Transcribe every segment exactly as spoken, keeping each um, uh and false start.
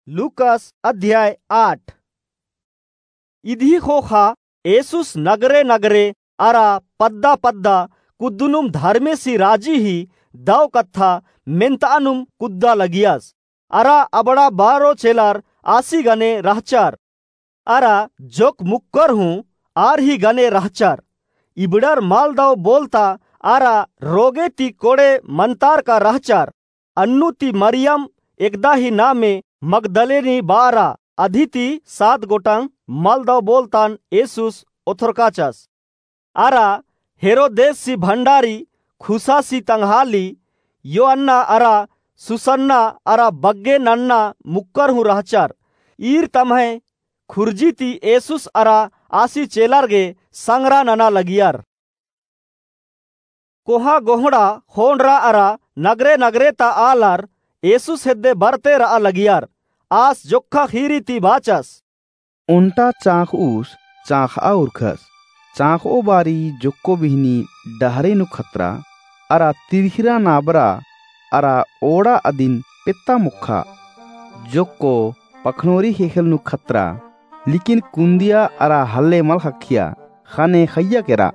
लूकास अध्याय आठ। इदी ख़ोख़ा येसुस नगरे नगरे अरा पद्दा पद्दा कुद्दनुम धर्मेसी राजी ही दव कत्था मेन्तआनुम कुद्दा लगियस। अरा अबड़ा बारो चेलर आसी गने रहचर। अरा जोक्क मुक्कर हूँ आर ही गने रहचर। इबड़र मलदव बोलता अरा रोगे ती कोड़े मन्तारका रहचर। अन्नु ती मरियम एकदा ही नामे मगदलेनी बारा अदी ती सात गोटंग मलदव बोलतान येसुस ओथरकाचस। अरा हेरोदेसी भण्डारी, खुसासी तंग्हाली, योअन्ना अरा सुसन्ना अरा बग्गे नन्ना मुक्कर हूँ रहचर। ईर तम्है खुर्जी ती येसुस अरा आसी चेलर गे संगरा नना लगियर। कोहा गोहड़ा ख़ोंड़रा अरा नगरे नगरे ता आलर येसुस हेद्दे बरते रआ लगियर। आस जोक्खा ख़ीरी ती बाचस। ओन्टा चाँख़उस चाँख़आ उरखस। चाँख़ओ बारी जोक्को बिहनी डहरे नू खतरा अरा तिरखिरा नाबरा अरा ओड़ा अदिन पेत्ता मोक्खा। जोक्को पखनोरी ख़ेख़ेल नू खतरा, लेकिन कुन्दिया अरा हल्ले मल ख़क्खिया, ख़ने ख़इय्या केरा।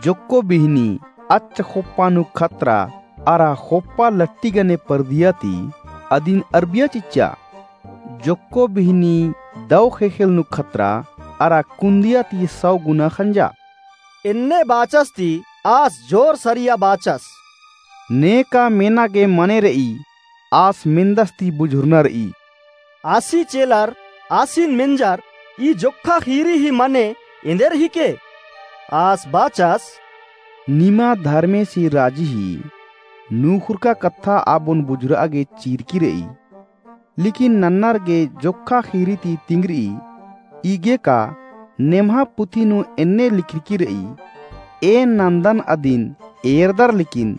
जोक्को बिहनी अच्च ख़ोप्पा नू खतरा अरा ख़ोप्पा लट्टी गने परदिया ती अदिन अरबिया चिच्चा। जोक्को बिहनी दव ख़ेख़ेल नू खतरा अरा कुन्दिया ती सौ गुना ख़ंजा। एन्ने बाचस ती आस जोर सरिया बाचस। नेका मेना गे मने रई, आस मेन्दस ती बुझुरना रई। आसी चेलर आसिन मेंजर, ई जोक्खा ख़ीरी ही मने एन्देर हिके? आस बाचस। निमा धर्मेसी राजी ही नूख़ुरका कत्था आबोन बुझुरआ गे चिरकी रई। लेकिन नन्नर गे जोक्खा ख़ीरी ती तिंगरी, इगे का नेम्हा पुथी नू एन्ने लिखरकी रई, एन नन्दन अदिन एरदर लेकिन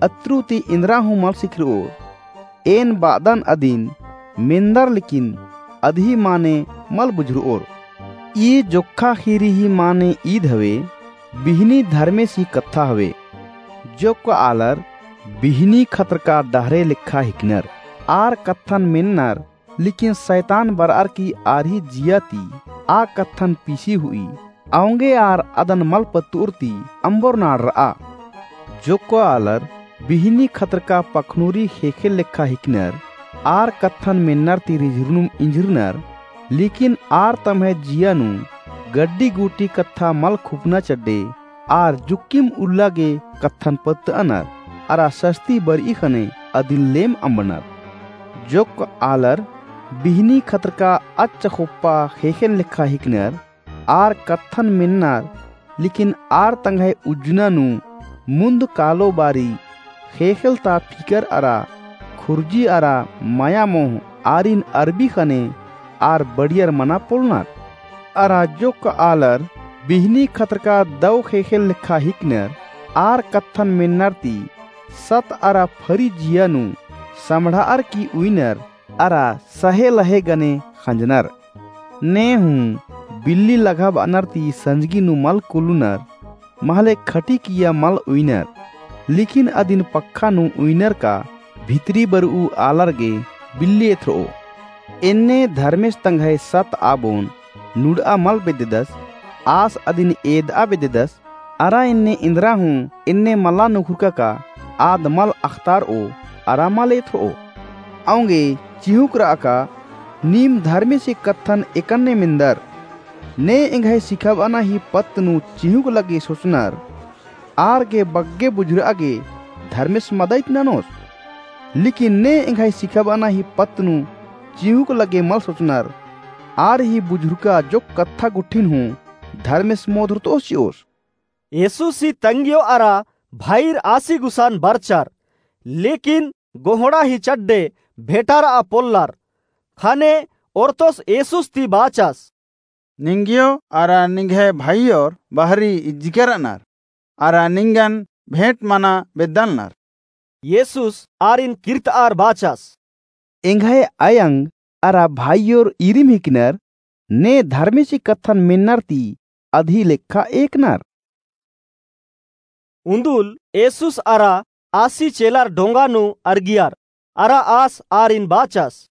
अत्रु ती इन्द्रा हूँ मल सिखरओर। एन बादन अदिन मेन्दर लेकिन अदही माने मल बुझरओर। ई जोक्खा ख़ीरी ही माने ईद हवे, बिहनी धर्मेसी कत्था हवे। जोक्क आलर बिहनी खतरका डहरे लेखा हिकनर, आर कत्थन मेन्नर, लेकिन सैतान बरअर की आर ही जिया ती आ कत्थन पीसी हुई। औंगे आर अदन मल पत्तुर ती अम्बोर नाड़ रआ। जोक्क आलर बिहनी खतरका पखनुरी ख़ेख़ेल लेखा हिकनर, आर कत्थन मेन्नर ती रिझुरनुम इंझुरनर, लेकिन आर तम्है जिया नू गड्डी गूटी कत्था मल खुपना चड्डे, आर जुक्किम उल्ला गे कत्थन पत्तअनर, अरा सस्ती बरई ख़ने अदिन लेम अम्बनर। जोक्क आलर बिहनी खतरका अच्च ख़ोप्पा ख़ेख़ेल लेखा हिकनर, आर कत्थन मेन्नर, लेकिन आर तंग्है उज्जना नू मुन्द कालो बारी ख़ेख़ेल ता फिकर अरा खुर्जी अरा मया मोह आरिन अरबी ख़ने आर बड़ियर मना पोलनर। अरा जोक्क आलर बिहनी खतरका दव ख़ेख़ेल लेखा हिकनर, आर कत्थन मेन्नर ती सत अरा फरी जिया नू सम्बड़ाअर की उइनर, अरा सहे लहे गने ख़ंजनर। ने हूँ बिल्ली लघाबअनर ती संजगी नू मल कुलुनर, महले खटी किया मल उइनर। लेकिन अदिन पक्खा नू उइनर का भितरी बरऊ आलर गे बिल्ली एथरओ। एन्ने धर्मेस तंग्है सत आबोन नुड़आ मल बेद्ददस, आस अदिन एदआ बेद्ददस, अरा एन्ने इन्द्रा हूँ एन्ने मला नुखुरका का आद मल अख़तारओ अरा मल एथरओ। औंगे चिहुँक रआ का नीम धर्मेसी कत्थन एकन्ने मेन्दर। ने एंग्है सिखाबअना ही पत्त नू चिहुँक लगे सोचनर, आर गे बग्गे बुझुरआ गे धर्मेस मदइत ननोस। लेकिन ने एंग्है सिखाबअना ही पत्त नू चिहुँक लगे मल सोचनर, आर ही बुझुरका जोक्क कत्था गुट्ठिन हूँ धर्मेस मोधरतओस चिओस। येसुस ही तंग्यो अरा भइर आसी गुसन बरचर, लेकिन गोहड़ा ही चड्डे भेंटारआ पोल्लर। ख़ने ओर्तोस येसुस ती बाचस। निंग्यो अरा निंग्है भइयोर बहरी इज्जिकर रअनर, अरा निंगन भेंट मना बेद्दालनर। येसुस आरिन किर्तआर बाचस। एंग्है अयंग अरा भइयोर इरिम हिकनर, ने धर्मेसी कत्थन मेन्नर ती अदही लेखा एकनर। उन्दुल येसुस अरा आसी चेलर डोंगा नू अरगियर, अरा आस आरिन बाचस।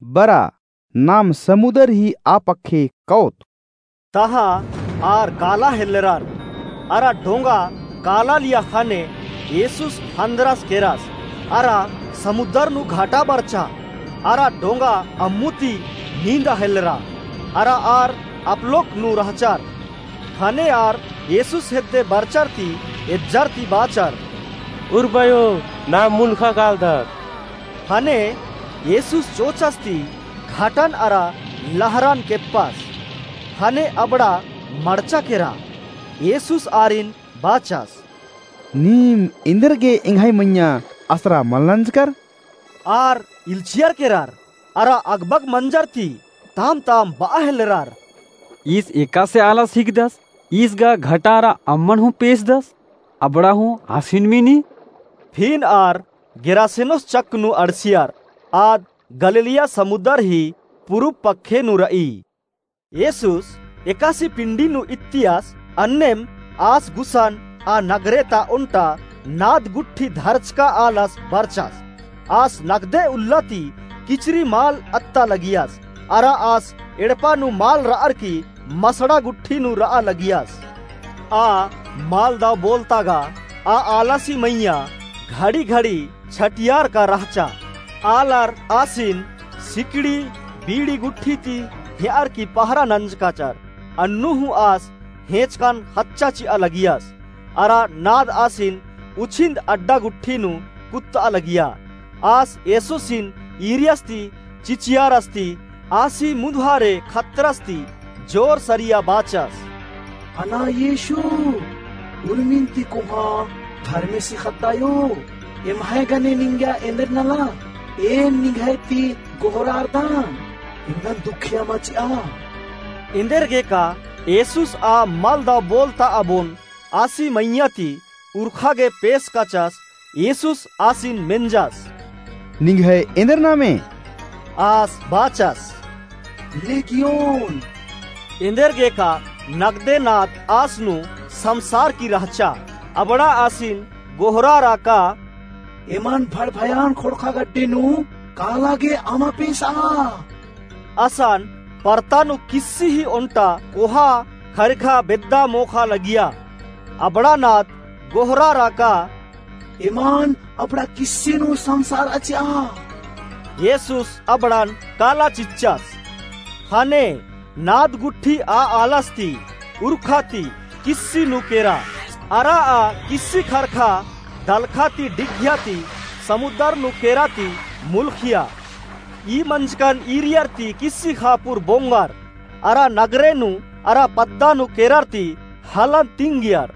बरा, नाम समुदर ही आ पक्खे कओत। तहाँ आर काला हेल्लरर, अरा ढोंगा काला लिया ख़ने येसुस ख़न्दरस केरस, अरा समुदर नू घाटा बरचा, अरा ढोंगा अम्मु ती नींदा हेल्लरा, अरा आर अपलोक नू रहचर। ख़ने आर येसुस हेद्दे बरचर ती एज्जर ती बाचर, उर्बयो, नाम मुलख़ा कालदत। ख़ने येसुस चोचस ती घाटन अरा लहरन केप्पस। ख़ने अबड़ा मड़चा केरा। येसुस आरिन बाचस, नीम एन्देरगे एंग्है मइय्याँ असरा मल नंजकर? आर इल्चियर केरर, अरा अगबग मंजर ती ताम-ताम बआ हेल्लरर, ईस एकासे आलस हिकदस? ईस गा घाटा अरा अम्मन हूँ पेसदस, अबड़ा हूँ आसिन मिनी। फिन आर गेरासेनोस चक नू अंड़सियर, आद गलीलिया समुदर ही पुरुब पक्खे नू रई। येसुस एकासे पिंडी नू इत्तियस, अन्नेम आस गुसन आ नगरे ता ओन्टा नाद गुट्ठी धरचका आलस बरचस। आस नगदे उल्ला ती किचरी माल अत्ता लगियस, अरा आस एड़पा नू माल रअर की मसड़ा गुट्ठी नू रआ लगियस। आ माल दव बोलता गा आ आलसी मइय्याँ घड़ी-घड़ी छटियारका रहचा। आलर आसिन सिकड़ी बीड़ी गुट्ठी ती हेअर की पहरा नंजकाचर। अन्नु हूँ आस हेंचकन ख़च्चा चिआ लगियस, अरा नाद आसिन उछिन्द अड्डा गुट्ठी नू कुत्तआ लगिया। आस येसुसिन ईरियस ती चिचियारस ती आसी मुन्दहारे खतरस ती जोर सरिया बाचस, हना येसु, उर्मिन ती कोहाँ धर्मेसी ख़द्दायो, एम्है गने निंग्या एन्देर नला, एन निंग्है ती गोहरारदन, एंगन दुखिया मचिआ। एन्देरगेका येसुस आ मल दव बोलता अबोन आसी मइय्याँ ती उरखा गे पेसकाचस। येसुस आसिन मेंजस, निंग्है एन्देर नामे? आस बाचस, लेगियोन। एन्देरगेका नगदे नाद आस नू समसारकी रहचा। अबड़ा आसिन गोहरारआ का, एमन भड़भयान ख़ोंड़ख़ा गड्डी नू काला गे अमा पेसआ। असन परता नू किस्सी ही ओन्टा कोहा ख़रिखा बेद्दा मोख़ा लगिया। अबड़ा नाद गोहरारआ का, एमन अबड़ा किस्सी नू समसारआ चिआ। येसुस अबड़न काला चिच्चस। ख़ने नाद गुट्ठी आ आलस ती उरखा ती किस्सी नू केरा। अरा आ किस्सी ख़रख़ा दलख़ा ती डिग्घिया ती समुदर नू केरा ती मुलख़िया। ई मंजकन ईरियर ती किस्सी ख़ापुर बोंगर, अरा नगरे नू अरा पद्दा नू केरर ती हलन तिंगियर।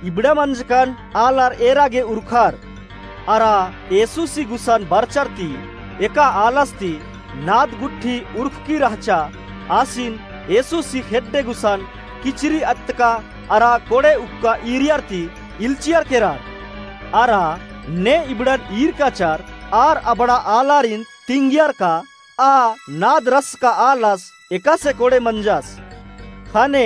इबड़ा मंजकन आलर एरा गे उरखर। अरा येसुसी गुसन बरचर ती एका आलस ती नाद गुट्ठी उरखकी रहचा। आसिन येसुसी खेड्डे गुसन किचरी अत्तका अरा कोड़े उक्का ईरियर ती इल्चियर केरर। अरा ने इबड़न ईरकाचर आर अबड़ा आलारिन तिंगियर का आ नाद रसका आलस एकासे कोड़े मंजस। ख़ने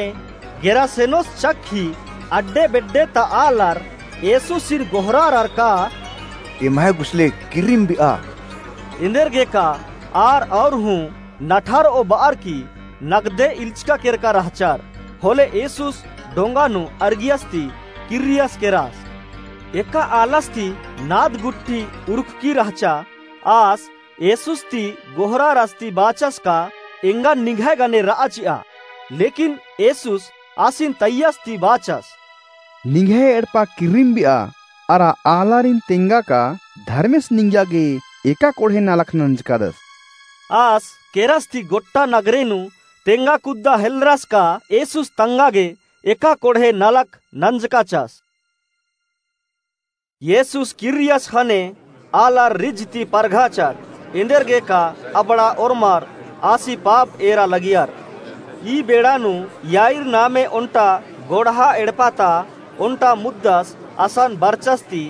गेरासेनोस चक ही अड्डे बेड्डे ता आलर येसुसिन गोहरारर का, एम्है गुसले किर्रिम बिआ। एन्देरगेका आर और हूँ नठारओ बअर की नगदे इल्चका केरका रहचर। होले येसुस डोंगा नू अरगियस ती किर्रियस केरस। एका आलस ती नाद गुट्ठी उरखकी रहचा। आस येसुस ती गोहरारस ती बाचस का, एंगन निंग्है गने रआ चिआ। लेकिन येसुस आसिन तैयस ती बाचस, निंग्है एड़पा किर्रिम बिआ, अरा आलारिन तेंगा का धर्मेस निंग्या गे एका कोड़हे नलख नंजकादस। आस केरस ती गोट्टा नगरे नू तेंगा कुद्दा हेलरस का येसुस तंगा गे एका कोड़हे नलख नंजकाचस। येसुस किर्रियस ख़ने आलर रिझ ती परघाचर। एन्देरगेका अबड़ा ओर्मर आसी पाप एरा लगियर। ई बेड़ा नू याईर नामे ओन्टा गोड़हा एड़पा ता ओन्टा मुद्दस असन बरचस ती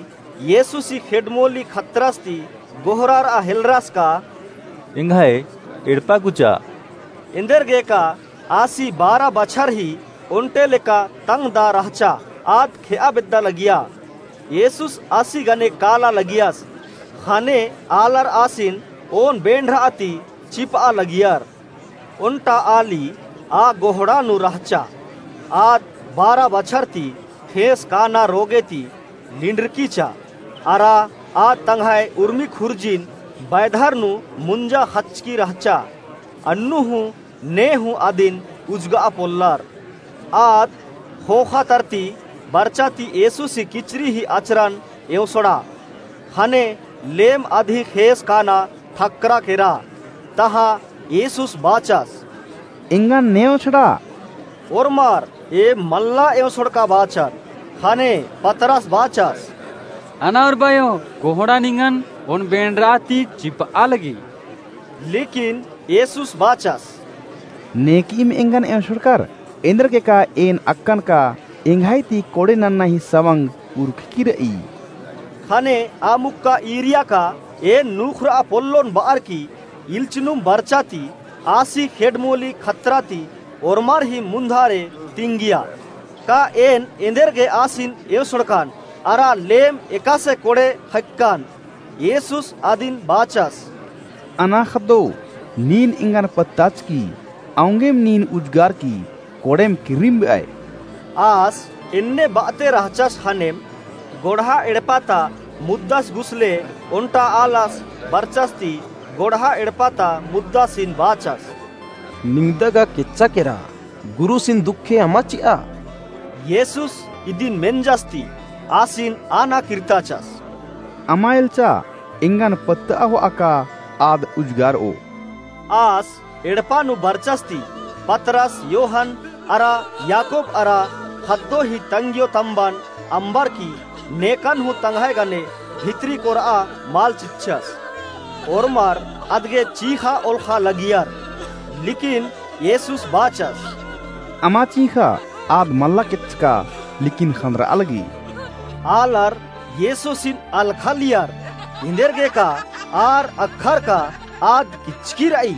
येसुसी खेड्डमोली खतरस ती गोहरारआ हेलरस का, एंग्है एड़पा कुचा। एन्देरगेका आसी बारा बछर ही ओन्टे लेका तंगदा रहचा। आद खेआ बेद्दा लगिया। येसुस आसी गने काला लगियस। ख़ने आलर आसिन ओन बेंड़रआ ती चिपआ लगियर। ओन्टा आली आ गोहड़ा नू रहचा। आद बारा बछर ती ख़ेस काना रोगे ती लिंडरकीचा। अरा आद तंग्है उर्मी खुर्जिन बैधर नू मुंजा ख़चकी रहचा। अन्नु हूँ ने हूँ अदिन उजगआ पोल्लर। आद ख़ोख़ा तरती बरचा ती येसुसी किचरी ही अचरन एवंसोड़ा। ख़ने लेम अदही ख़ेस काना ठक्करा केरा। तहाँ येसुस बाचस, एंगन ने एवंसोड़ा। ओर्मर ए मल्ला एवंसोड़का बाचर। ख़ने पतरस बाचस, अना ओर्बायो, गोहड़ा निंगन ओन बेंडरा ती चिपआ लगी। लेकिन येसुस बाचस, नेकइम एंगन एवंसोड़कर, एन्देरगे का एन अक्कन का एंग्है ती कोड़े नन्ना ही सवंग उरखकी रई। ख़ने आ मुक्का ईरिया का एन नूख़रआ पोल्लोन बअर की इल्चनुम बरचा ती आसी खेडमोली खतरा ती ओर्मर ही मुन्धारे तिंगिया। का एन एन्देरगे आसिन एवंसोड़कन, अरा लेम एकासे कोड़े ख़क्कन। येसुस अदिन बाचस, अना ख़द्दो, नीन एंगन पत्ताचकी, औंगेम नीन उजगारकी, कोड़ेम किर्रिम बेअय। आस एन्ने बअते रहचस ख़नेम गोड़हा एड़पा ता मुद्दस गुसले ओन्टा आलस बरचस ती गोड़हा एड़पा ता मुद्दासिन बाचस, निंग्दा गा केच्चा केरा, गुरुसिन दुखे अमा चिआ। येसुस इदिन मेंजस ती आसिन आना किर्ताचस, अमा एल्चा, एंगन पत्तआ होआ का आद उजगारओ। आस एड़पा नू बरचस ती पतरस, योहन अरा याकूब अरा ख़द्दो ही तंग्यो तम्बन अम्बर की नेकन हूँ तंग्है गने भितरी कोरआ मल चिच्चस। ओर्मर अदगे चींख़ा ओलख़ा लगियर। लेकिन येसुस बाचस, अमा चींख़ा, आद मल्ला केच्चका, लेकिन ख़न्दरआ लगी। आलर येसुसिन अलख़लियर, एन्देरगे का आर अख़र का आद किच्चकी रई।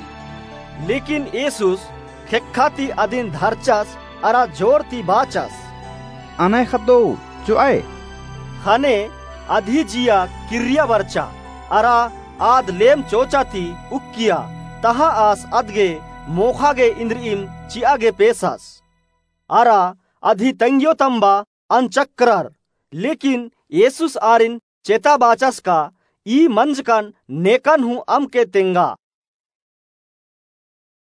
लेकिन येसुस ख़ेक्खा ती अदिन धरचस अरा जोर ती बाचस, अनय ख़द्दो, चोअय। ख़ने अदही जिया किर्रिया बरचा अरा आद लेम चोचा ती उक्किया। तहाँ आस अदगे मोख़ा गे इन्द्रिइम चिआ गे पेसस। अरा अदही तंग्यो तम्बा अनचक्करर। लेकिन येसुस आरिन चेता बाचस का, ई मंजकन नेकन हूँ अमके तेंगा।